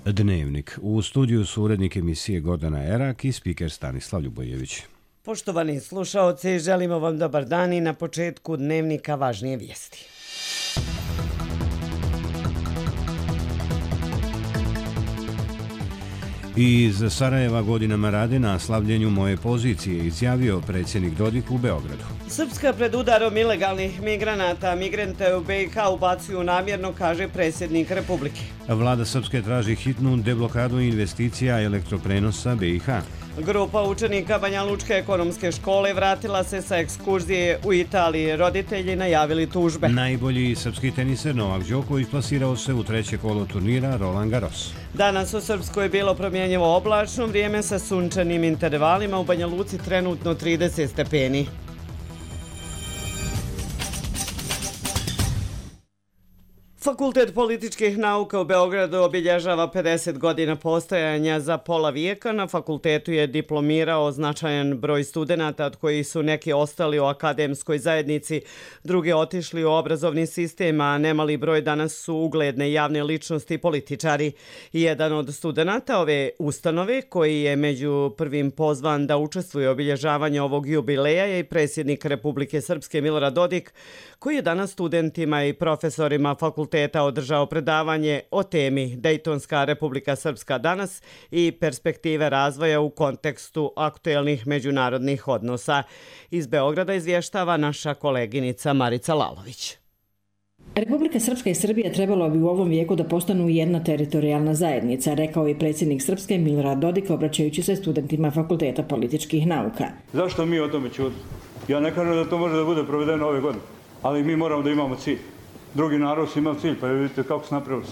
Dnevnik. U studiju su urednik emisije Gordana Erak i spiker Stanislav Ljubojević. Poštovani slušaoci, želimo vam dobar dan i na početku Dnevnika važnije vijesti. Iz Sarajeva godinama rade na slavljenju moje pozicije, izjavio predsjednik Dodik u Beogradu. Srpska pred udarom ilegalnih migranata, migrante u BiH ubacuju namjerno, kaže predsjednik Republike. Vlada Srpske traži hitnu deblokadu investicija elektroprenosa BiH. Grupa učenika Banja Lučke ekonomske škole vratila se sa ekskurzije u Italiji. Roditelji najavili tužbe. Najbolji srpski teniser Novak Đoković plasirao se u treće kolo turnira Roland Garros. Danas u Srpskoj je bilo promjenjivo oblačno vrijeme sa sunčanim intervalima, u Banja Luci trenutno 30 stepeni. Fakultet političkih nauka u Beogradu obilježava 50 godina postojanja. Za pola vijeka na fakultetu je diplomirao značajan broj studenata, od kojih su neki ostali u akademskoj zajednici, drugi otišli u obrazovni sistem, a nemali broj danas su ugledne javne ličnosti i političari. Jedan od studenata ove ustanove, koji je među prvim pozvan da učestvuje u obilježavanju ovog jubileja, je i predsjednik Republike Srpske Milorad Dodik, koji je danas studentima i profesorima fakulteta održao predavanje o temi Dejtonska Republika Srpska danas i perspektive razvoja u kontekstu aktuelnih međunarodnih odnosa. Iz Beograda izvještava naša koleginica Marica Lalović. Republika Srpska i Srbija trebalo bi u ovom vijeku da postanu jedna teritorijalna zajednica, rekao je predsjednik Srpske Milorad Dodik obraćajući se studentima Fakulteta političkih nauka. Zašto mi o tome ćutimo? Ja ne kažem da to može da bude provedeno ove godine, ali mi moramo da imamo cilj. Drugi narod su imali cilj, pa vidite kako su napravili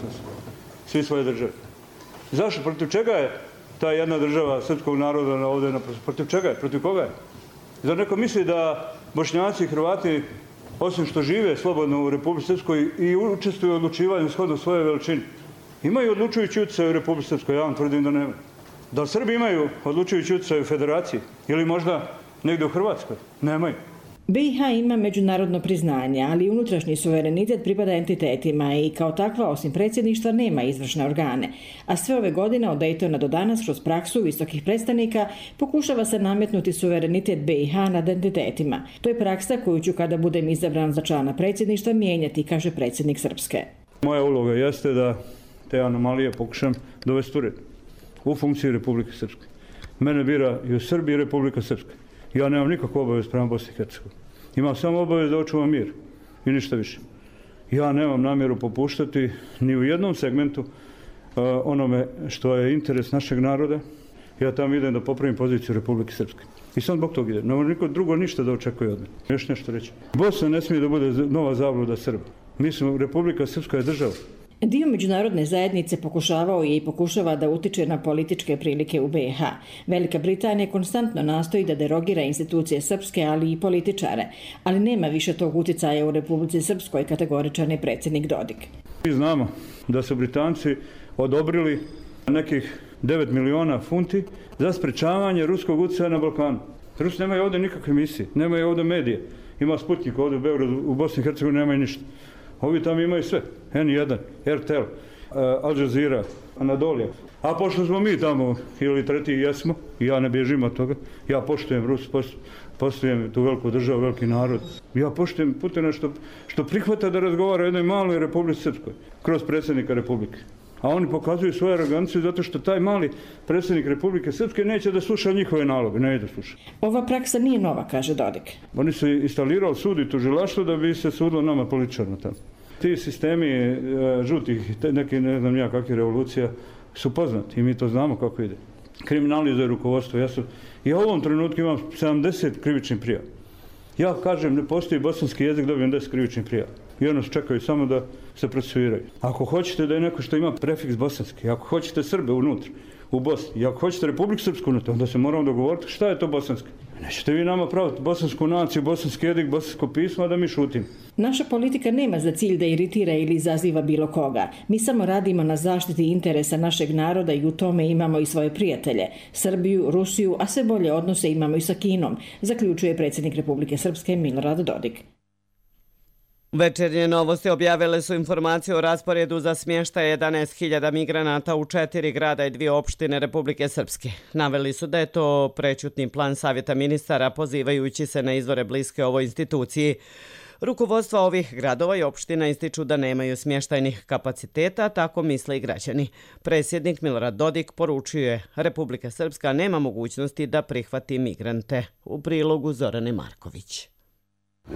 svi svoje države. Zašto? Protiv čega je ta jedna država srpskog naroda ovdje naprosto? Protiv čega je? Protiv koga je? Zar neko misli da Bošnjaci i Hrvati, osim što žive slobodno u Republici Srpskoj i učestvuju u odlučivanju shodno svoje veličine, imaju odlučujući utjecaj u Republici Srpskoj? Ja vam tvrdim da nema. Da li Srbi imaju odlučujući utjecaj u Federaciji? Ili možda negdje u Hrvatskoj? Nemaju. BiH ima međunarodno priznanje, ali unutrašnji suverenitet pripada entitetima i kao takva, osim predsjedništva, nema izvršne organe. A sve ove godine od Dejtona do danas, kroz praksu visokih predstavnika, pokušava se nametnuti suverenitet BiH nad entitetima. To je praksa koju ću, kada budem izabran za člana predsjedništva, mijenjati, kaže predsjednik Srpske. Moja uloga jeste da te anomalije pokušam dovesti u red u funkciji Republike Srpske. Mene bira i u Srbiji i Republika Srpska. Ja nemam nikakvu obavez prema Bosni i Hercegovini. Imam samo obavez da očuvam mir i ništa više. Ja nemam namjeru popuštati ni u jednom segmentu onome što je interes našeg naroda. Ja tamo idem da popravim poziciju Republike Srpske. I sam zbog toga idem. Ne može niko drugo ništa da očekuje od mene. Još nešto reći. Bosna ne smije da bude nova zabluda Srba. Mislim, Republika Srpska je država. Dio međunarodne zajednice pokušavao je i pokušava da utiče na političke prilike u BiH. Velika Britanija konstantno nastoji da derogira institucije srpske, ali i političare, ali nema više tog uticaja u Republici Srpskoj, kategoričan je predsjednik Dodik. Mi znamo da su Britanci odobrili nekih 9 miliona funti za sprečavanje ruskog utjecaja na Balkanu. Rusi nemaju ovdje nikakve misije, nemaju ovdje medije. Ima Sputnik ovdje u Beogradu, u Bosni i Hercegovini nemaju ništa. Ovi tamo imaju sve. N1, RTL, Al Jazeera, Anadolija. A pošto smo mi tamo, ili treti jesmo, i ja ne bježim od toga, ja poštujem Rus, poštujem tu veliku državu, veliki narod. Ja poštujem Putina što prihvata da razgovara o jednoj maloj Republici Srpskoj, kroz predsjednika Republike. A oni pokazuju svoju aroganciju zato što taj mali predsjednik Republike Srpske neće da sluša njihove naloge, ne da sluša. Ova praksa nije nova, kaže Dodik. Oni su instalirali sud i tužilaštvo da bi se sudilo nama političarno tamo. Ti sistemi žutih, neki ne znam ja kakvih revolucija su poznati i mi to znamo kako ide. Kriminalizuje rukovodstvo. Ja u ovom trenutku imam 70 krivičnih prijava. Ja kažem, ne postoji bosanski jezik, dobijem 10 krivičnih prijava. I ono čekaju samo da se procesuiraju. Ako hoćete da je neko što ima prefiks bosanski, ako hoćete Srbe unutra, u Bosni, i ako hoćete Republiku Srpsku unutra, onda se moramo dogovoriti šta je to bosanski. Nećete vi nama praviti bosansku naciju, bosanski jezik, bosansko pismo, a da mi šutimo. Naša politika nema za cilj da iritira ili izaziva bilo koga. Mi samo radimo na zaštiti interesa našeg naroda i u tome imamo i svoje prijatelje. Srbiju, Rusiju, a sve bolje odnose imamo i sa Kinom, zaključuje predsjednik Republike Srpske Milorad Dodik. Večernje novosti objavile su informaciju o rasporedu za smještaj 11.000 migranata u 4 grada i 2 opštine Republike Srpske. Naveli su da je to prećutni plan Savjeta ministara, pozivajući se na izvore bliske ovoj instituciji. Rukovodstva ovih gradova i opština ističu da nemaju smještajnih kapaciteta, tako misle i građani. Predsjednik Milorad Dodik poručuje Republika Srpska nema mogućnosti da prihvati migrante. U prilogu Zorane Marković.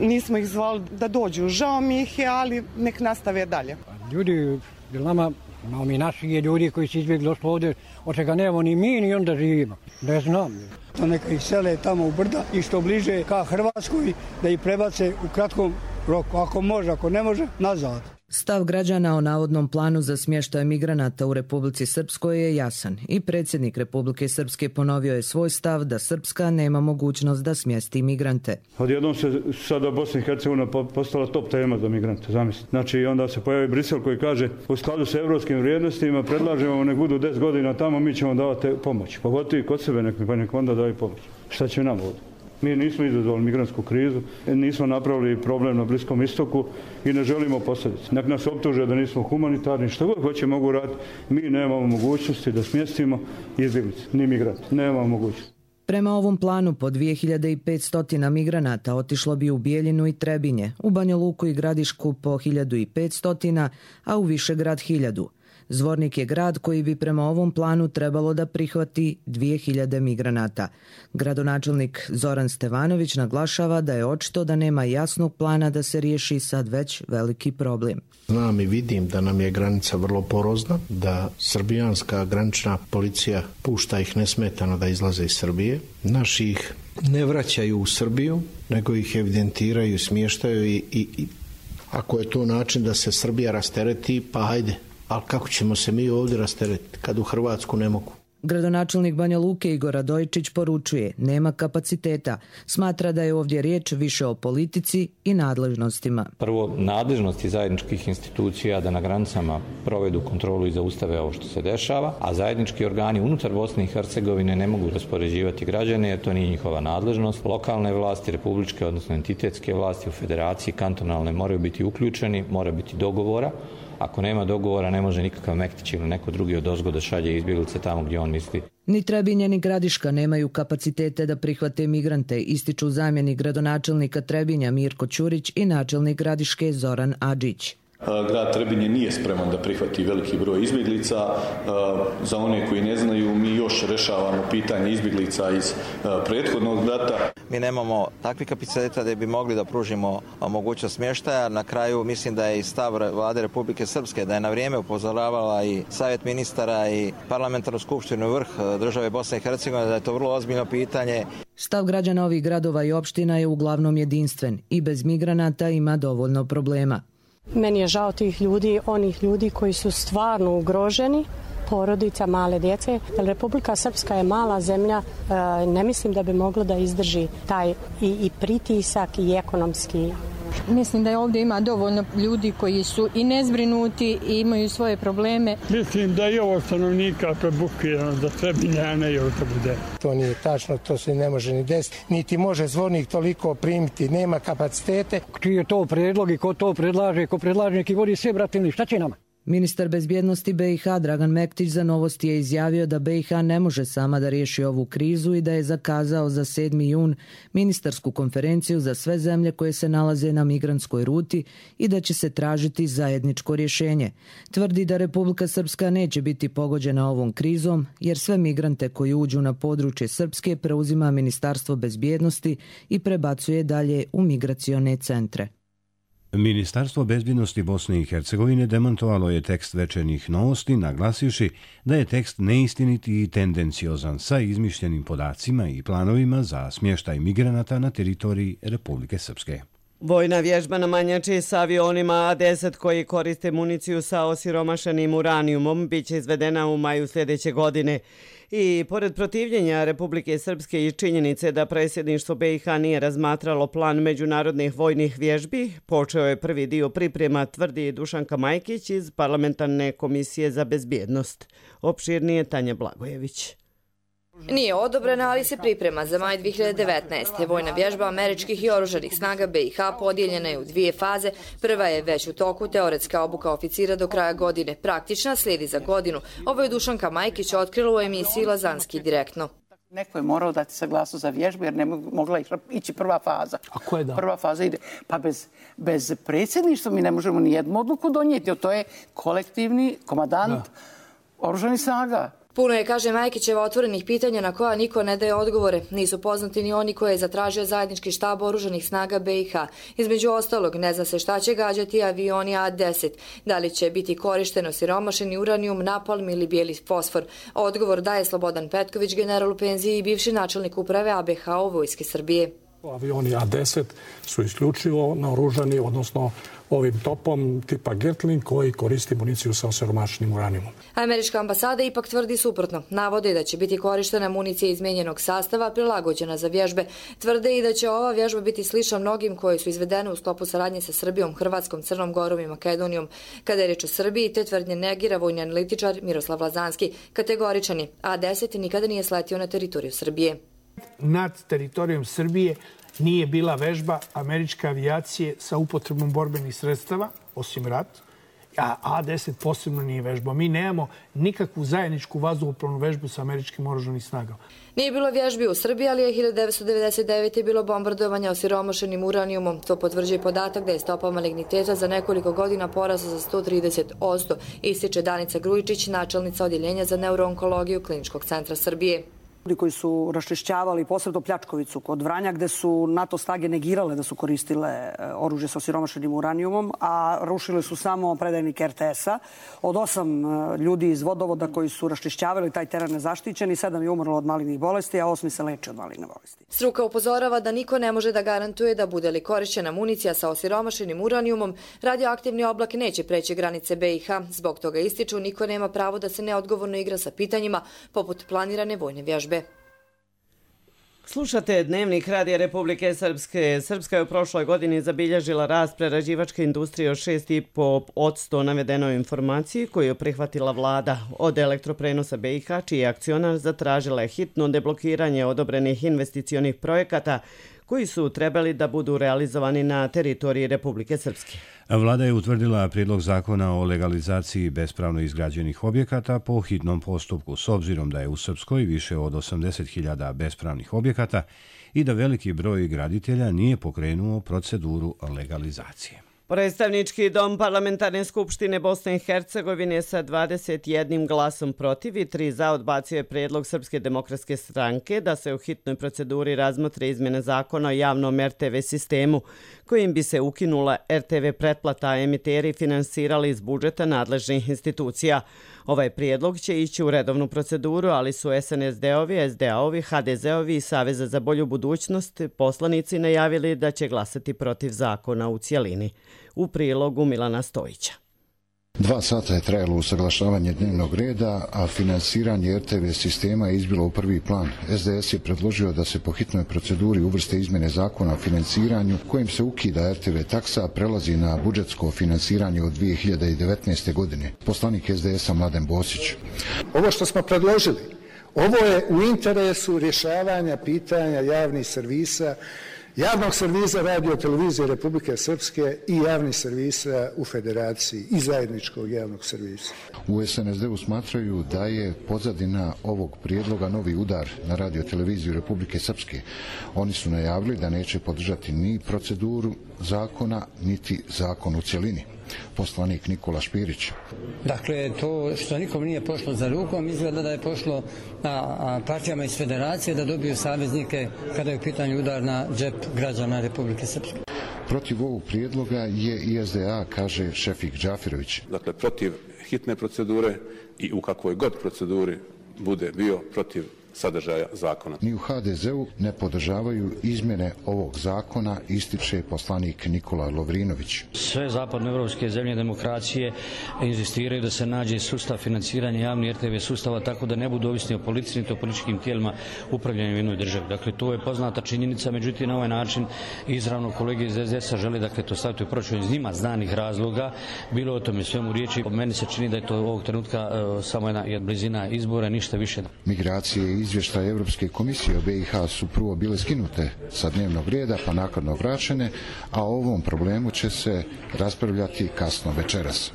Nismo ih zvali da dođu, žao mi ih je, ali nek nastave dalje. Ljudi, nama, imamo mi naših ljudi koji su izbjegli došli ovdje, od čega nemamo ni mi, ni onda živimo. Ne znam. Da neka ih sele tamo u brda i što bliže ka Hrvatskoj, da ih prebace u kratkom roku. Ako može, ako ne može, nazad. Stav građana o navodnom planu za smještaj migranata u Republici Srpskoj je jasan i predsjednik Republike Srpske ponovio je svoj stav da Srpska nema mogućnost da smjesti migrante. Odjednom se sada Bosna i Hercegovina postala top tema za migrante, zamislite. Znači onda se pojavi Brisel koji kaže u skladu sa evropskim vrijednostima predlažemo nek budu 10 godina tamo, mi ćemo davati pomoć. Pogotovo kod sebe nek onda daju pomoć. Šta će nam ovdje? Mi nismo izazvali migrantsku krizu, nismo napravili problem na Bliskom istoku i ne želimo posljedice. Nek nas optuže da nismo humanitarni, što god hoće mogu raditi. Mi nemamo mogućnosti da smjestimo izbjeglice, ni migrante. Nemamo mogućnosti. Prema ovom planu po 2500 migranata otišlo bi u Bijeljinu i Trebinje, u Banja Luku i Gradišku po 1500, a u Višegrad 1000. Zvornik je grad koji bi prema ovom planu trebalo da prihvati 2000 migranata. Gradonačelnik Zoran Stevanović naglašava da je očito da nema jasnog plana da se riješi sad već veliki problem. Znam i vidim da nam je granica vrlo porozna, da srbijanska granična policija pušta ih nesmetano da izlaze iz Srbije. Naši ih ne vraćaju u Srbiju, nego ih evidentiraju, smještaju i ako je to način da se Srbija rastereti, pa hajde. Ali kako ćemo se mi ovdje rasteretiti kad u Hrvatsku ne mogu? Gradonačelnik Banja Luke Igor Radojičić poručuje, nema kapaciteta. Smatra da je ovdje riječ više o politici i nadležnostima. Prvo, nadležnosti zajedničkih institucija da na granicama provedu kontrolu i zaustave ovo što se dešava, a zajednički organi unutar Bosne i Hercegovine ne mogu raspoređivati građane jer to nije njihova nadležnost. Lokalne vlasti, republičke, odnosno entitetske vlasti u federaciji, kantonalne moraju biti uključeni, mora biti dogovora. Ako nema dogovora, ne može nikakav Mektić ili neko drugi odozgo da šalje izbjeglice tamo gdje on misli. Ni Trebinje ni Gradiška nemaju kapacitete da prihvate migrante, ističu zamjenik gradonačelnika Trebinja Mirko Ćurić i načelnik Gradiške Zoran Adžić. Grad Trebinje nije spreman da prihvati veliki broj izbjeglica. Za one koji ne znaju, mi još rešavamo pitanje izbjeglica iz prethodnog rata. Mi nemamo takvih kapaciteta da bi mogli da pružimo mogućnost smještaja. Na kraju mislim da je i stav Vlade Republike Srpske da je na vrijeme upozoravala i Savjet ministara i parlamentarnu skupštinu vrh države Bosne i Hercegovine da je to vrlo ozbiljno pitanje. Stav građana ovih gradova i opština je uglavnom jedinstven i bez migranata ima dovoljno problema. Meni je žao tih ljudi, onih ljudi koji su stvarno ugroženi, porodica, male djece. Jer Republika Srpska je mala zemlja, ne mislim da bi mogla da izdrži taj i pritisak i ekonomski. Mislim da ovdje ima dovoljno ljudi koji su i nezbrinuti i imaju svoje probleme. Mislim da je ovo stanovnika prebukirano za Trebinje, a ne još da bude. To nije tačno, to se ne može ni desiti, niti može Zvornik toliko primiti, nema kapacitete. Čiji je to predlog i ko to predlaže, ko predlaže neki vodi sve, bratilni, šta će nama? Ministar bezbjednosti BiH Dragan Mektić za Novosti je izjavio da BiH ne može sama da riješi ovu krizu i da je zakazao za 7. jun ministarsku konferenciju za sve zemlje koje se nalaze na migrantskoj ruti i da će se tražiti zajedničko rješenje. Tvrdi da Republika Srpska neće biti pogođena ovom krizom jer sve migrante koji uđu na područje Srpske preuzima Ministarstvo bezbjednosti i prebacuje dalje u migracione centre. Ministarstvo bezbjednosti Bosne i Hercegovine demantovalo je tekst večernjih novosti, naglasivši da je tekst neistiniti i tendenciozan sa izmišljenim podacima i planovima za smještaj migranata na teritoriji Republike Srpske. Vojna vježba na Manjači sa avionima A-10 koji koriste municiju sa osiromašenim uranijumom biće izvedena u maju sljedeće godine. I pored protivljenja Republike Srpske i činjenice da predsjedništvo BiH nije razmatralo plan međunarodnih vojnih vježbi, počeo je prvi dio priprema, tvrdi Dušanka Majkić iz Parlamentarne komisije za bezbjednost. Opširnije Tanja Blagojević. Nije odobrena, ali se priprema za maj 2019. Vojna vježba američkih i oružanih snaga BiH podijeljena je u dvije faze. Prva je već u toku, teoretska obuka oficira do kraja godine. Praktična slijedi za godinu. Ovo je Dušanka Majkić otkrila u emisiji Lazanski direktno. Neko je morao dati saglasnost za vježbu jer ne mogla ići prva faza. A ko je dao? Prva faza ide. Pa bez predsjedništva mi ne možemo ni jednu odluku donijeti. To je kolektivni komandant oružanih snaga. Puno je, kaže Majkićeva, otvorenih pitanja na koja niko ne daje odgovore. Nisu poznati ni oni koje je zatražio zajednički štab oružanih snaga BiH. Između ostalog, ne zna se šta će gađati avioni A-10. Da li će biti korišten osiromašeni uranijum, napalm ili bijeli fosfor. Odgovor daje Slobodan Petković, general u penziji i bivši načelnik uprave ABH u Vojske Srbije. Avioni A-10 su isključivo naoružani, odnosno ovim topom tipa Gatling koji koristi municiju sa osiromašenim uranijumom. Američka ambasada ipak tvrdi suprotno. Navode da će biti korištena municija izmijenjenog sastava prilagođena za vježbe. Tvrde i da će ova vježba biti slična mnogim koje su izvedene u sklopu saradnje sa Srbijom, Hrvatskom, Crnom Gorom i Makedonijom. Kada je reč o Srbiji, te tvrdnje negira vojni analitičar Miroslav Lazanski. Kategoričan je. A-10 nikada nije sletio na teritoriju Srbije. Nad teritorijom Srbije nije bila vežba američke avijacije sa upotrebom borbenih sredstava, osim rat, a A-10 posebno nije vežba. Mi nemamo nikakvu zajedničku vazduhoplovnu vežbu sa američkim oružanim snagama. Nije bilo vježbi u Srbiji, ali je 1999. bilo bombardovanja osiromašenim uranijumom. To potvrđuje podatak da je stopa maligniteta za nekoliko godina porasla za 130%, ističe Danica Grujičić, načelnica odjeljenja za neuroonkologiju Kliničkog centra Srbije. Ljudi koji su raščišćavali posebno Pljačkovicu kod Vranja gde su NATO snage negirale da su koristile oružje sa osiromašenim uranijumom, a rušili su samo predajnike RTS-a. Od 8 ljudi iz vodovoda koji su raščišćavali taj teren nezaštićeni, 7 je umrlo od malignih bolesti, a 8 se leče od maligne bolesti. Struka upozorava da niko ne može da garantuje da bude li korišćena municija sa osiromašenim uranijumom, radioaktivni oblak neće preći granice BiH. Zbog toga ističu, niko nema pravo da se neodgovorno igra sa pitanjima poput planirane vojne vježbe. Slušate Dnevnik Radija Republike Srpske. Srpska je u prošloj godini zabilježila rast prerađivačke industrije od 6,5% navedenoj informaciji koju je prihvatila vlada. Od Elektroprenosa BiH, čiji je akcionar, zatražila je hitno deblokiranje odobrenih investicionih projekata koji su trebali da budu realizovani na teritoriji Republike Srpske. Vlada je utvrdila prijedlog zakona o legalizaciji bespravno izgrađenih objekata po hitnom postupku, s obzirom da je u Srpskoj više od 80.000 bespravnih objekata i da veliki broj graditelja nije pokrenuo proceduru legalizacije. Predstavnički dom Parlamentarne skupštine Bosne i Hercegovine sa 21 glasom protiv i 3 za odbacio je prijedlog Srpske demokratske stranke da se u hitnoj proceduri razmotre izmjene zakona o javnom RTV sistemu, kojim bi se ukinula RTV pretplata, a emiteri finansirali iz budžeta nadležnih institucija. Ovaj prijedlog će ići u redovnu proceduru, ali su SNSD-ovi, SDA-ovi, HDZ-ovi i Saveza za bolju budućnost poslanici najavili da će glasati protiv zakona u cjelini. U prilogu Milana Stojića. 2 sata je trajalo usaglašavanje dnevnog reda, a finansiranje RTV sistema je izbilo u prvi plan. SDS je predložio da se po hitnoj proceduri uvrste izmjene zakona o financiranju kojim se ukida RTV taksa, prelazi na budžetsko finansiranje od 2019. godine. Poslanik SDS-a Mladen Bosić. Ovo što smo predložili, ovo je u interesu rješavanja pitanja javnih servisa, javnog servisa Radio televizije Republike Srpske i javnih servisa u Federaciji i zajedničkog javnog servisa. U SNSD-u smatraju da je pozadina ovog prijedloga novi udar na Radio televiziju Republike Srpske. Oni su najavili da neće podržati ni proceduru zakona, niti zakon u cjelini. Poslanik Nikola Špirić. Dakle, to što nikom nije pošlo za rukom, izgleda da je pošlo partijama iz Federacije da dobiju saveznike kada je u pitanju udar na džep građana Republike Srpske. Protiv ovog prijedloga je i SDA, kaže Šefik Džafirović. Dakle, protiv hitne procedure i u kakvoj god proceduri bude bio protiv sadržaja zakona. Ni u HDZ-u ne podržavaju izmjene ovog zakona, ističe poslanik Nikola Lovrinović. Sve zapadnoevropske zemlje demokracije inzistiraju da se nađe sustav financiranja javnih RTV sustava tako da ne budu ovisni o policiji niti o političkim tijelima upravljanja u jednoj državi. Dakle, to je poznata činjenica, međutim na ovaj način izravno kolege iz SDS-a žele to staviti u proračun iz njima znanih razloga. Bilo o tome svemu riječi. Meni se čini da je to ovog trenutka samo jedna blizina izbora, ništa više. Migracije i izvještaje Europske komisije o BiH su prvo bile skinute sa dnevnog reda pa naknadno vraćene, a o ovom problemu će se raspravljati kasno večeras.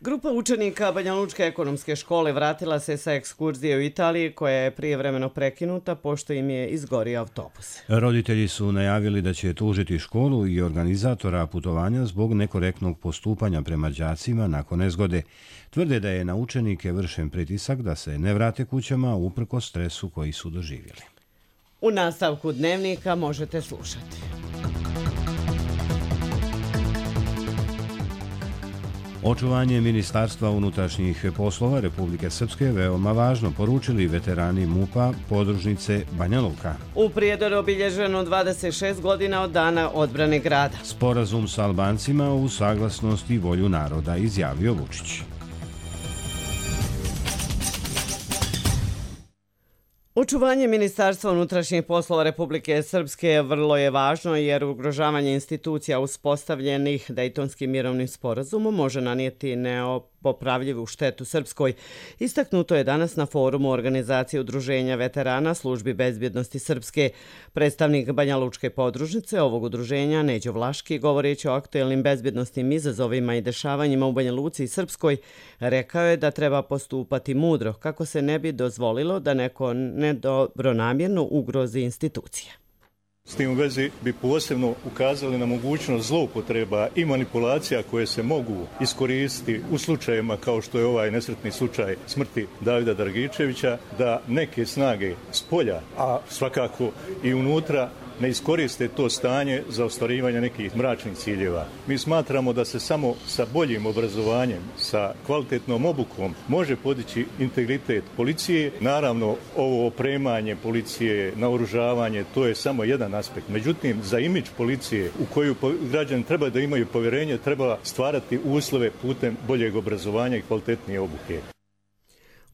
Grupa učenika Banja Lučke ekonomske škole vratila se sa ekskurzije u Italiji koja je prijevremeno prekinuta pošto im je izgorio autobus. Roditelji su najavili da će tužiti školu i organizatora putovanja zbog nekorektnog postupanja prema đacima nakon nezgode. Tvrde da je na učenike vršen pritisak da se ne vrate kućama uprkos stresu koji su doživjeli. U nastavku dnevnika možete slušati. Očuvanje Ministarstva unutrašnjih poslova Republike Srpske je veoma važno, poručili veterani MUP-a podružnice Banja Luka. U Prijedoru je obilježeno 26 godina od dana odbrane grada. Sporazum sa Albancima u saglasnost i volju naroda, izjavio Vučić. Očuvanje Ministarstva unutrašnjih poslova Republike Srpske vrlo je važno jer ugrožavanje institucija uspostavljenih Dejtonskim mirovnim sporazumom može nanijeti nepopravljivu štetu Srpskoj. Istaknuto je danas na forumu organizacije udruženja veterana službi bezbjednosti Srpske. Predstavnik Banja Lučke podružnice ovog udruženja, Neđo Vlaški, govoreći o aktuelnim bezbjednostnim izazovima i dešavanjima u Banja Luci i Srpskoj, rekao je da treba postupati mudro kako se ne bi dozvolilo da neko nedobronamjerno ugrozi institucije. S tim u vezi bi posebno ukazali na mogućnost zloupotreba i manipulacija koje se mogu iskoristiti u slučajevima kao što je ovaj nesretni slučaj smrti Davida Dragičevića, da neke snage s polja, a svakako i unutra, ne iskoriste to stanje za ostvarivanje nekih mračnih ciljeva. Mi smatramo da se samo sa boljim obrazovanjem, sa kvalitetnom obukom može podići integritet policije. Naravno, ovo opremanje policije, naoružavanje, to je samo jedan aspekt. Međutim, za imidž policije u koju građani treba da imaju povjerenje, treba stvarati uslove putem boljeg obrazovanja i kvalitetnije obuke.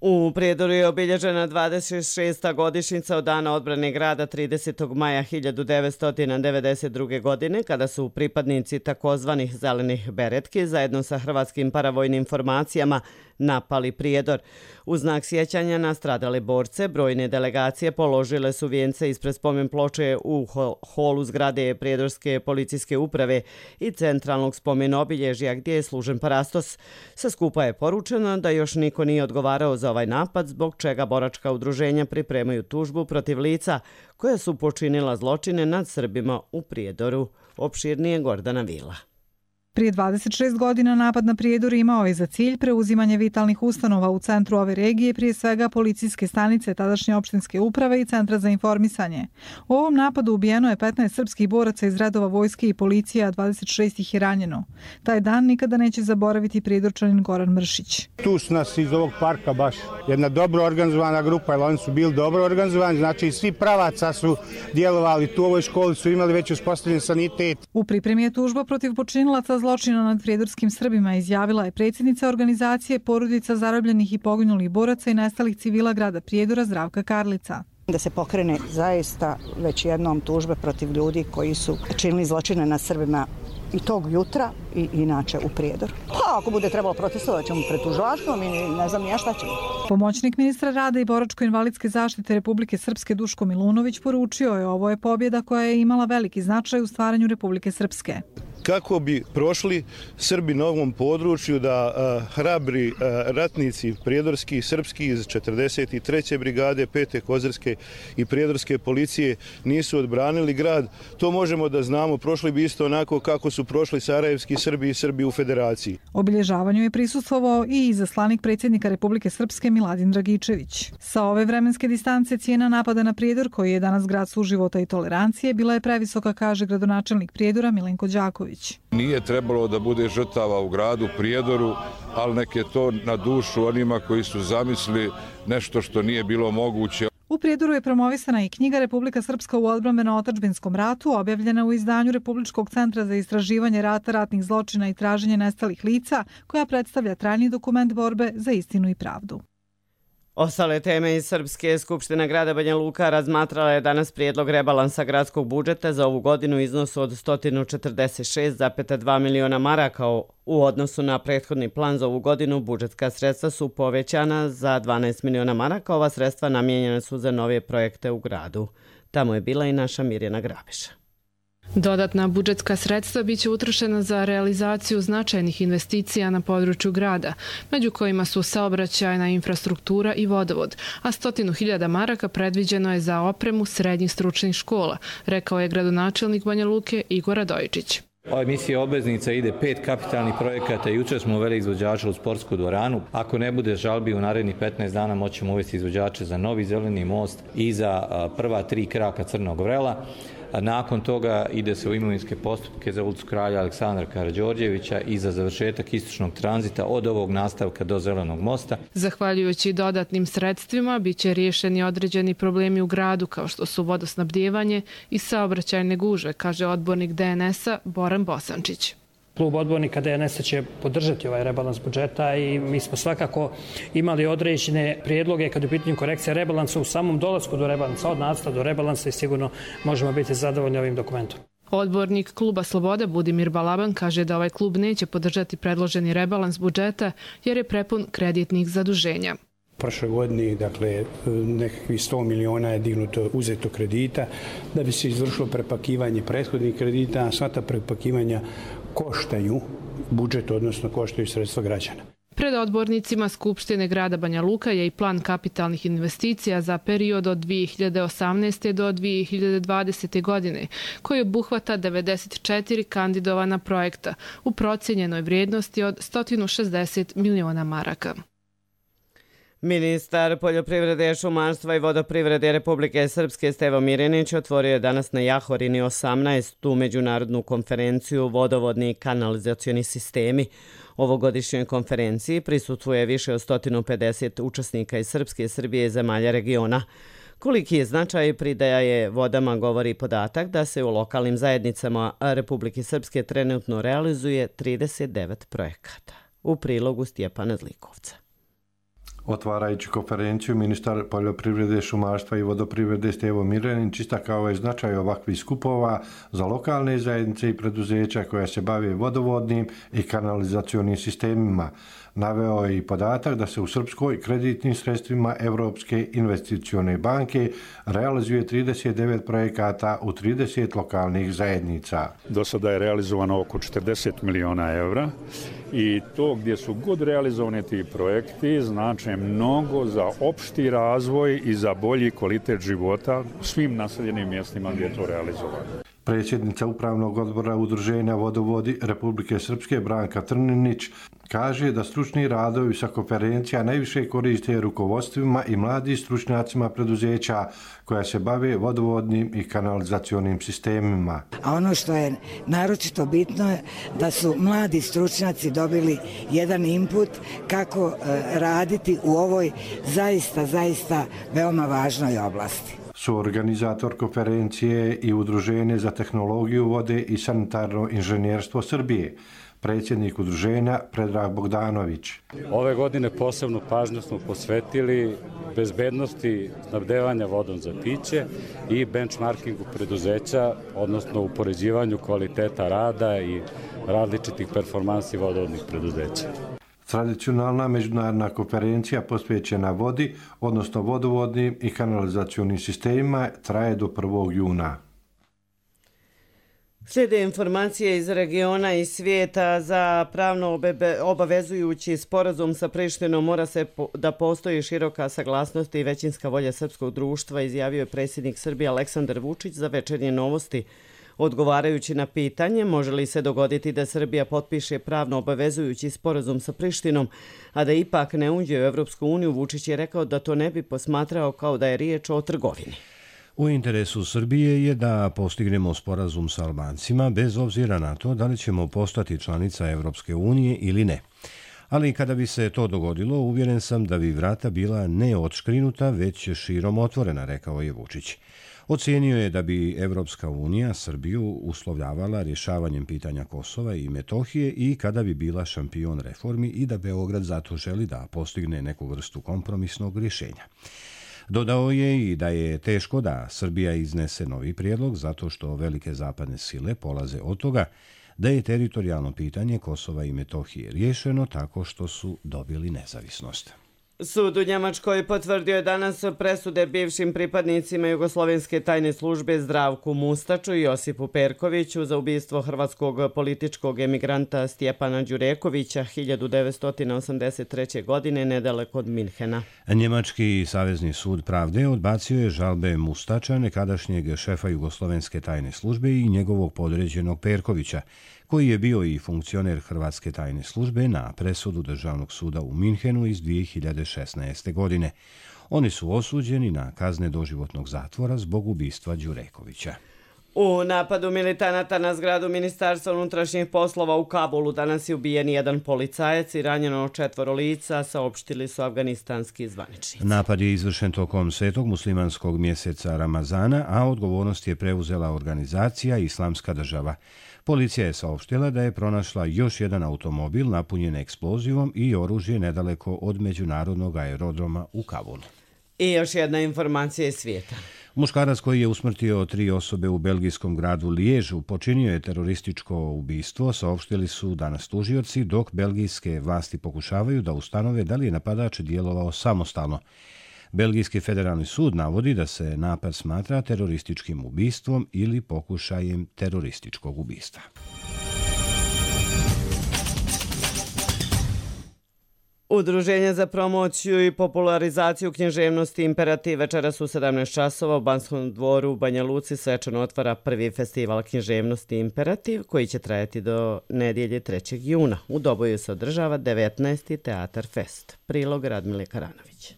U Prijedoru je obilježena 26. godišnjica od dana odbrane grada 30. maja 1992. godine, kada su pripadnici takozvanih zelenih beretki zajedno sa hrvatskim paravojnim formacijama napali Prijedor. U znak sjećanja na stradale borce, brojne delegacije položile su vijence ispred spomen ploče u holu zgrade Prijedorske policijske uprave i centralnog spomen obilježja gdje je služen parastos. Sa skupa je poručeno da još niko nije odgovarao za ovaj napad, zbog čega boračka udruženja pripremaju tužbu protiv lica koja su počinila zločine nad Srbima u Prijedoru. Opširnije Gordana Vila. Prije 26 godina napad na Prijedor imao je za cilj preuzimanje vitalnih ustanova u centru ove regije, prije svega policijske stanice, tadašnje opštinske uprave i centra za informisanje. U ovom napadu ubijeno je 15 srpskih boraca iz redova vojske i policije, a 26 ih je ranjeno. Taj dan nikada neće zaboraviti Prijedorčanin Goran Mršić. Tu su nas iz ovog parka baš jedna dobro organizovana grupa, jer oni su bili dobro organizovani, znači svi pravaca su djelovali tu u ovoj školi, su imali već uspostavljen sanitet. U pripremi je tužba protiv počinilaca zločina nad prijedorskim Srbima, izjavila je predsjednica organizacije porodica zarobljenih i poginulih boraca i nestalih civila grada Prijedora Zdravka Karlica. Da se pokrene zaista već jednom tužbe protiv ljudi koji su činili zločine nad Srbima i tog jutra i inače u Prijedoru. Pa ako bude trebalo protestovati ćemo pred tužilaštvom i ne znam ja šta ćemo. Pomoćnik ministra rada i boračko-invalidske zaštite Republike Srpske Duško Milunović poručio je ovo je pobjeda koja je imala veliki značaj u stvaranju Republike Srpske. Kako bi prošli Srbi na ovom području da hrabri ratnici prijedorski, srpski iz 43. brigade, 5. kozarske i prijedorske policije nisu odbranili grad, to možemo da znamo, prošli bi isto onako kako su prošli sarajevski Srbi i Srbi u federaciji. Obilježavanju je prisustvovao i izaslanik predsjednika Republike Srpske Miladin Dragičević. Sa ove vremenske distance cijena napada na Prijedor, koji je danas grad suživota i tolerancije, bila je previsoka, kaže gradonačelnik Prijedora Milenko Đaković. Nije trebalo da bude žrtava u gradu Prijedoru, ali nek je to na dušu onima koji su zamislili nešto što nije bilo moguće. U Prijedoru je promovisana i knjiga Republika Srpska u odbrambeno-otadžbinskom ratu, objavljena u izdanju Republičkog centra za istraživanje rata, ratnih zločina i traženje nestalih lica, koja predstavlja trajni dokument borbe za istinu i pravdu. Ostale teme iz Srpske skupštine grada Banja Luka razmatrala je danas prijedlog rebalansa gradskog budžeta za ovu godinu u iznosu od 146,2 miliona maraka. U odnosu na prethodni plan za ovu godinu budžetska sredstva su povećana za 12 miliona maraka. Ova sredstva namijenjena su za nove projekte u gradu. Tamo je bila i naša Mirjana Grabiša. Dodatna budžetska sredstva biće utrošena za realizaciju značajnih investicija na području grada, među kojima su saobraćajna infrastruktura i vodovod, a 100.000 maraka predviđeno je za opremu srednjih stručnih škola, rekao je gradonačelnik Banja Luke Igor Radojičić. Ova emisija obveznica ide 5 kapitalnih projekata. Jučer smo uveli izvođača u sportsku dvoranu. Ako ne bude žalbi u narednih 15 dana moćemo uvesti izvođače za novi zeleni most i za prva 3 kraka Crnog vrela. Nakon toga ide se u imovinske postupke za ulicu Kralja Aleksandra Karađorđevića i za završetak istočnog tranzita od ovog nastavka do Zelenog mosta. Zahvaljujući dodatnim sredstvima biće riješeni određeni problemi u gradu kao što su vodosnabdijevanje i saobraćajne gužve, kaže odbornik DNS-a Boran Bosančić. Klub odbornika DNS-a će podržati ovaj rebalans budžeta i mi smo svakako imali određene prijedloge kad je u pitanju korekcija rebalansa u samom dolasku do rebalansa, od nacrta do rebalansa i sigurno možemo biti zadovoljni ovim dokumentom. Odbornik Kluba Slobode Budimir Balaban kaže da ovaj klub neće podržati predloženi rebalans budžeta jer je prepun kreditnih zaduženja. Prošle godine, dakle, nekakvih 100 miliona je dignuto uzeto kredita da bi se izvršilo prepakivanje prethodnih kredita, a sva ta prepakivanja koštaju budžet, odnosno koštaju sredstva građana. Pred odbornicima Skupštine grada Banja Luka je i plan kapitalnih investicija za period od 2018. do 2020. godine, koji obuhvata 94 kandidovana projekta u procijenjenoj vrijednosti od 160 miliona maraka. Ministar poljoprivrede, šumarstva i vodoprivrede Republike Srpske Stevo Mirinić otvorio je danas na Jahorini 18. međunarodnu konferenciju Vodovodni i kanalizacioni sistemi. Ovogodišnjoj konferenciji prisustvuje više od 150 učesnika iz Srpske, Srbije i zemalja regiona. Koliki je značaj pridaje vodama govori podatak da se u lokalnim zajednicama Republike Srpske trenutno realizuje 39 projekata. U prilogu Stjepana Zlikovca. Otvarajući konferenciju, ministar poljoprivrede, šumarstva i vodoprivrede Stevo Mirinić istakao je značaj ovakvih skupova za lokalne zajednice i preduzeća koja se bave vodovodnim i kanalizacionim sistemima. Naveo je i podatak da se u Srpskoj kreditnim sredstvima Evropske investicione banke realizuje 39 projekata u 30 lokalnih zajednica. Do sada je realizovano oko 40 miliona evra i to gdje su god realizovani ti projekti znače mnogo za opšti razvoj i za bolji kvalitet života u svim naseljenim mjestima gdje je to realizovano. Predsjednica Upravnog odbora Udruženja Vodovodi Republike Srpske Branka Trninić kaže da stručni radovi sa konferencija najviše koriste rukovodstvima i mladim stručnjacima preduzeća koja se bave vodovodnim i kanalizacionim sistemima. A ono što je naročito bitno je da su mladi stručnjaci dobili jedan input kako raditi u ovoj zaista veoma važnoj oblasti. Suorganizator konferencije i Udruženje za tehnologiju vode i sanitarno inženjerstvo Srbije, predsjednik udruženja Predrag Bogdanović. Ove godine posebnu pažnju smo posvetili bezbednosti snabdevanja vodom za piće i benchmarkingu preduzeća, odnosno upoređivanju kvaliteta rada i različitih performansi vodovodnih preduzeća. Tradicionalna međunarodna konferencija posvećena vodi, odnosno vodovodnim i kanalizacionim sistemima, traje do 1. juna. Slijede informacije iz regiona i svijeta. Za pravno obavezujući sporazum sa Prištinom mora se da postoji široka saglasnost i većinska volja srpskog društva, izjavio je predsjednik Srbije Aleksandar Vučić za Večernje novosti. Odgovarajući na pitanje može li se dogoditi da Srbija potpiše pravno obavezujući sporazum sa Prištinom, a da ipak ne uđe u Evropsku uniju, Vučić je rekao da to ne bi posmatrao kao da je riječ o trgovini. U interesu Srbije je da postignemo sporazum sa Albancima bez obzira na to da li ćemo postati članica Evropske unije ili ne. Ali kada bi se to dogodilo, uvjeren sam da bi vrata bila ne odškrinuta, već širom otvorena, rekao je Vučić. Ocijenio je da bi Evropska unija Srbiju uslovljavala rješavanjem pitanja Kosova i Metohije i kada bi bila šampion reformi i da Beograd zato želi da postigne neku vrstu kompromisnog rješenja. Dodao je i da je teško da Srbija iznese novi prijedlog zato što velike zapadne sile polaze od toga da je teritorijalno pitanje Kosova i Metohije riješeno tako što su dobili nezavisnost. Sud u Njemačkoj potvrdio je danas presude bivšim pripadnicima Jugoslovenske tajne službe Zdravku Mustaču i Josipu Perkoviću za ubistvo hrvatskog političkog emigranta Stjepana Đurekovića 1983. godine nedaleko od Minhena. Njemački savezni sud pravde odbacio je žalbe Mustača, nekadašnjeg šefa Jugoslovenske tajne službe i njegovog podređenog Perkovića, koji je bio i funkcioner Hrvatske tajne službe na presudu Državnog suda u Minhenu iz 2016. godine. Oni su osuđeni na kazne doživotnog zatvora zbog ubistva Đurekovića. U napadu militanata na zgradu Ministarstva unutrašnjih poslova u Kabulu danas je ubijen jedan policajac i ranjeno 4 lica, saopštili su afganistanski zvaničnici. Napad je izvršen tokom svetog muslimanskog mjeseca Ramazana, a odgovornost je preuzela organizacija Islamska država. Policija je saopštila da je pronašla još jedan automobil napunjen eksplozivom i oružje nedaleko od međunarodnog aerodroma u Kabulu. I još jedna informacija iz svijeta. Muškarac koji je usmrtio 3 osobe u belgijskom gradu Liježu počinio je terorističko ubistvo, saopštili su danas tužioci, dok belgijske vlasti pokušavaju da ustanove da li je napadač djelovao samostalno. Belgijski federalni sud navodi da se napad smatra terorističkim ubistvom ili pokušajem terorističkog ubistva. Udruženje za promociju i popularizaciju književnosti Imperativ večeras u 17 časova u Banskom dvoru u Banja Luci svečano otvara prvi festival književnosti Imperativ koji će trajati do nedjelje 3. juna. U Doboju se održava 19. Teatar Fest. Prilog Radmile Karanović.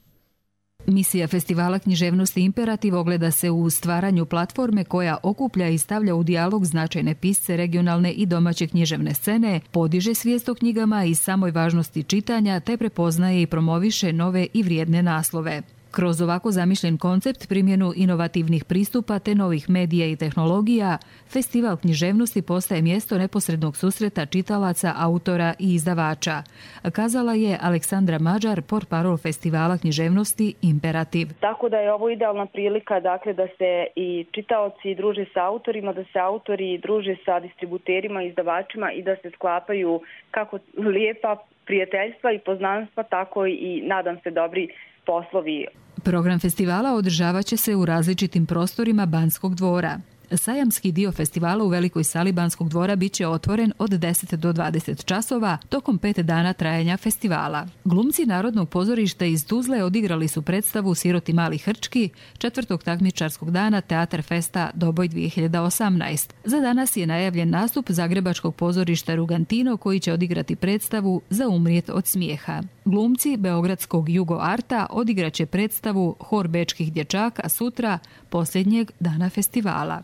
Misija festivala književnosti Imperativ ogleda se u stvaranju platforme koja okuplja i stavlja u dijalog značajne pisce regionalne i domaće književne scene, podiže svijest o knjigama i samoj važnosti čitanja te prepoznaje i promoviše nove i vrijedne naslove. Kroz ovako zamišljen koncept, primjenu inovativnih pristupa te novih medija i tehnologija, festival književnosti postaje mjesto neposrednog susreta čitalaca, autora i izdavača, kazala je Aleksandra Mađar, portparol festivala književnosti Imperativ. Tako da je ovo idealna prilika da se i čitaoci druže sa autorima, da se autori druže sa distributerima, izdavačima i da se sklapaju kako lijepa prijateljstva i poznanstva, tako i nadam se dobri poslovi. Program festivala održavat će se u različitim prostorima Banskog dvora. Sajamski dio festivala u velikoj sali Banskog dvora bit će otvoren od 10 do 20 časova tokom 5 dana trajanja festivala. Glumci Narodnog pozorišta iz Tuzle odigrali su predstavu Siroti mali hrčki 4. takmičarskog dana Teatar Festa Doboj 2018. Za danas je najavljen nastup Zagrebačkog pozorišta Rugantino koji će odigrati predstavu Za umrijet od smijeha. Glumci Beogradskog Jugo Arta odigraće predstavu Hor bečkih dječaka sutra, posljednjeg dana festivala.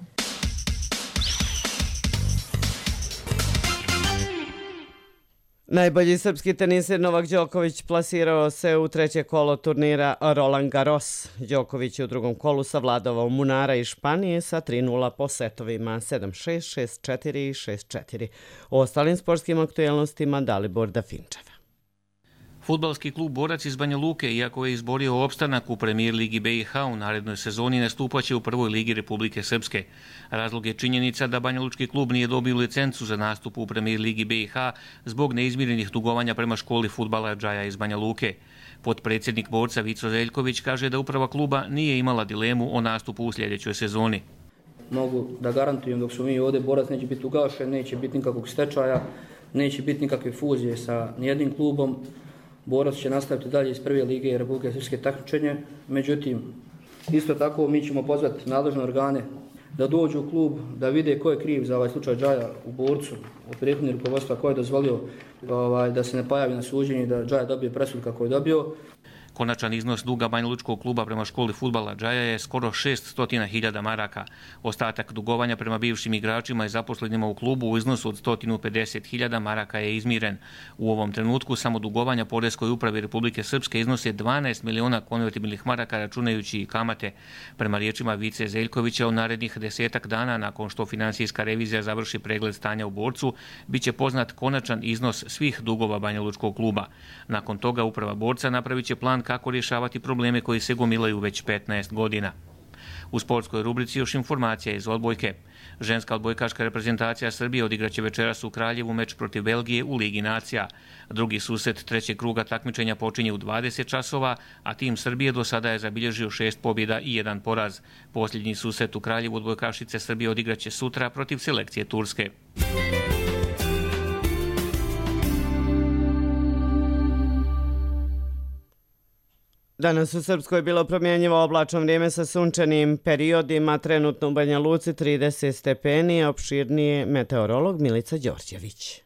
Najbolji srpski teniser Novak Đoković plasirao se u 3. kolo turnira Roland Garros. Đoković je u 2. kolu savladovao Munara iz Španije sa 3-0 po setovima 7-6, 6-4 i 6-4. O ostalim sportskim aktuelnostima Dalibor Dafinčev. Fudbalski klub Borac iz Banja Luke, iako je izborio opstanak u premijer ligi BiH u narednoj sezoni, nastupaće u prvoj ligi Republike Srpske. Razlog je činjenica da banjalučki klub nije dobio licencu za nastup u premijer ligi BiH zbog neizmirenih dugovanja prema školi fudbala Džaja iz Banja Luke. Potpredsjednik Borca Vico Zeljković kaže da uprava kluba nije imala dilemu o nastupu u sljedećoj sezoni. Mogu da garantujem dok su mi ovdje, Borac neće biti ugašen, neće biti nikakvog stečaja, neće biti nikakve fuzije sa nijednim klubom. Borac će nastaviti dalje iz prve lige Republike Srpske takmičenje. Međutim, isto tako mi ćemo pozvati nadležne organe da dođu u klub, da vide ko je kriv za ovaj slučaj Džaja u Borcu, od prethodnih rukovodstva ko je dozvolio da se ne pojavi na suđenju, da Džaja dobije presudu kako je dobio. Konačan iznos duga Banjalučkog kluba prema školi fudbala Džaja je skoro 600.000 maraka. Ostatak dugovanja prema bivšim igračima i zaposlenima u klubu u iznosu od 150.000 maraka je izmiren. U ovom trenutku samo dugovanja Poreskoj upravi Republike Srpske iznose 12 miliona konvertibilnih maraka računajući i kamate. Prema riječima Vice Zeljkovića, u narednih 10 dana nakon što finansijska revizija završi pregled stanja u Borcu, bit će poznat konačan iznos svih dugova Banjalučkog kluba. Nakon toga uprava Borca napravit će plan kako rješavati probleme koji se gomilaju već 15 godina. U sportskoj rubrici još informacija iz odbojke. Ženska odbojkaška reprezentacija Srbije odigraće večeras u Kraljevu meč protiv Belgije u Ligi nacija. Drugi susret trećeg kruga takmičenja počinje u 20 časova, a tim Srbije do sada je zabilježio 6 pobjeda i 1 poraz. Posljednji susret u Kraljevu odbojkašice Srbije odigraće sutra protiv selekcije Turske. Danas u Srpskoj je bilo promjenjivo oblačno vrijeme sa sunčanim periodima, trenutno u Banja Luci 30 stepeni, a opširnije meteorolog Milica Đorđević.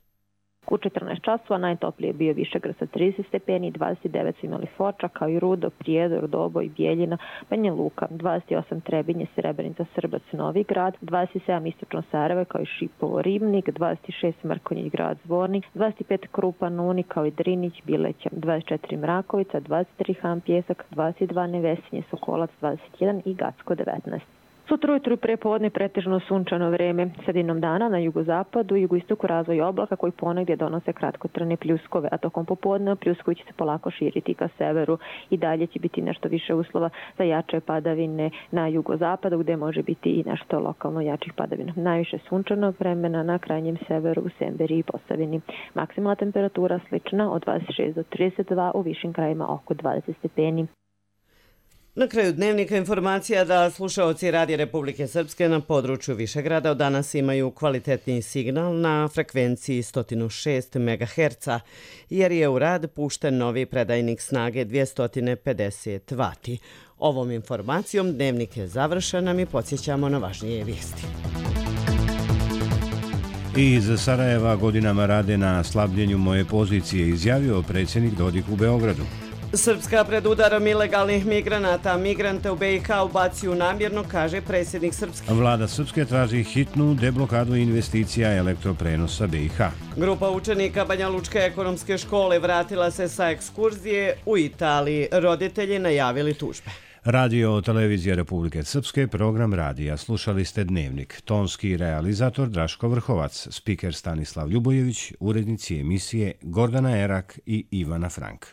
U 14 časova najtoplije je bio Višegrad sa 30 stepeni, 29 su imali Foča, kao i Rudo, Prijedor, Doboj, Bijeljina, Banja Luka, 28 Trebinje, Srebrenica, Srbac, Novi Grad, 27 Istočno Sarajevo, kao i Šipovo, Ribnik, 26 Mrkonjić Grad, Zvornik, 25 Krupan, Uni, kao i Drinić, Bileća, 24 Mrakovica, 23 Han Pjesak, 22 Nevesinje, Sokolac, 21 i Gacko, 19. Sutra ujutru i prepodne pretežno sunčano vreme. Sredinom dana na jugozapadu i jugoistoku razvoj oblaka koji ponegdje donose kratkotrajne pljuskove, a tokom popodne pljuskovi će se polako širiti ka severu i dalje će biti nešto više uslova za jače padavine na jugozapadu gdje može biti i nešto lokalno jačih padavina. Najviše sunčanog vremena na krajnjem severu u Semberiji i Posavini. Maksimalna temperatura slična od 26 do 32, u višim krajima oko 20 stepeni. Na kraju dnevnika informacija da slušaoci Radija Republike Srpske na području Višegrada od danas imaju kvalitetni signal na frekvenciji 106 MHz, jer je u rad pušten novi predajnik snage 250 W. Ovom informacijom dnevnik je završen, a mi podsjećamo na važnije vijesti. Iz Sarajeva godinama rade na slabljenju moje pozicije, izjavio predsjednik Dodik u Beogradu. Srpska pred udarom ilegalnih migranata. Migrante u BiH ubacuju namjerno, kaže predsjednik Srpske. Vlada Srpske traži hitnu deblokadu investicija elektroprenosa BiH. Grupa učenika Banjalučke ekonomske škole vratila se sa ekskurzije u Italiji. Roditelji najavili tužbe. Radio Televizija Republike Srpske, program radija. Slušali ste Dnevnik. Tonski realizator Draško Vrhovac, spiker Stanislav Ljubojević, urednici emisije Gordana Erak i Ivana Frank.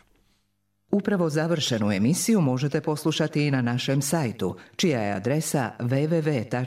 Upravo završenu emisiju možete poslušati i na našem sajtu, čija je adresa www.rtrs.tv.